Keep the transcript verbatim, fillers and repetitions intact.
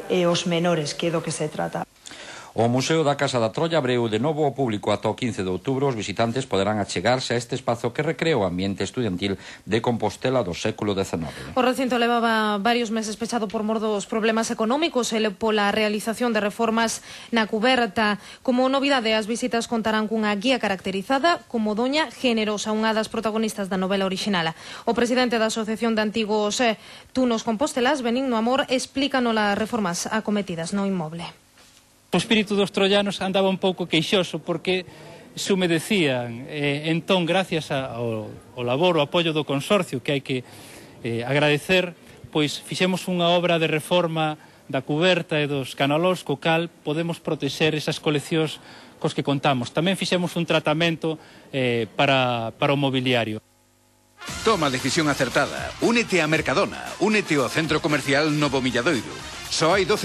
e, e os menores, que é do que se trata. O Museo da Casa da Trolla abriu de novo ao público ata o quince de outubro. Os visitantes poderán achegarse a este espazo que recrea o ambiente estudiantil de Compostela do século dezenove. O recinto levaba varios meses pechado por mor dos problemas económicos e pola realización de reformas na cuberta. Como novidade, as visitas contarán cunha guía caracterizada como Doña Generosa, unha das protagonistas da novela orixinal. O presidente da Asociación de Antigos eh, Tunos Compostelás, Benigno Amor, explícanos as reformas acometidas no inmoble. O espírito dos trollanos andaba un pouco queixoso porque sumedecían, eh, entón, gracias ao, ao labor, ao apoio do consorcio, que hai que eh, agradecer, pois fixemos unha obra de reforma da cuberta e dos canalós, co cal podemos protexer esas coleccións cos que contamos. Tamén fixemos un tratamento eh, para, para o mobiliario. Toma a decisión acertada. Únete a Mercadona, únete ao centro comercial Novo Milladoiro. Só hai doce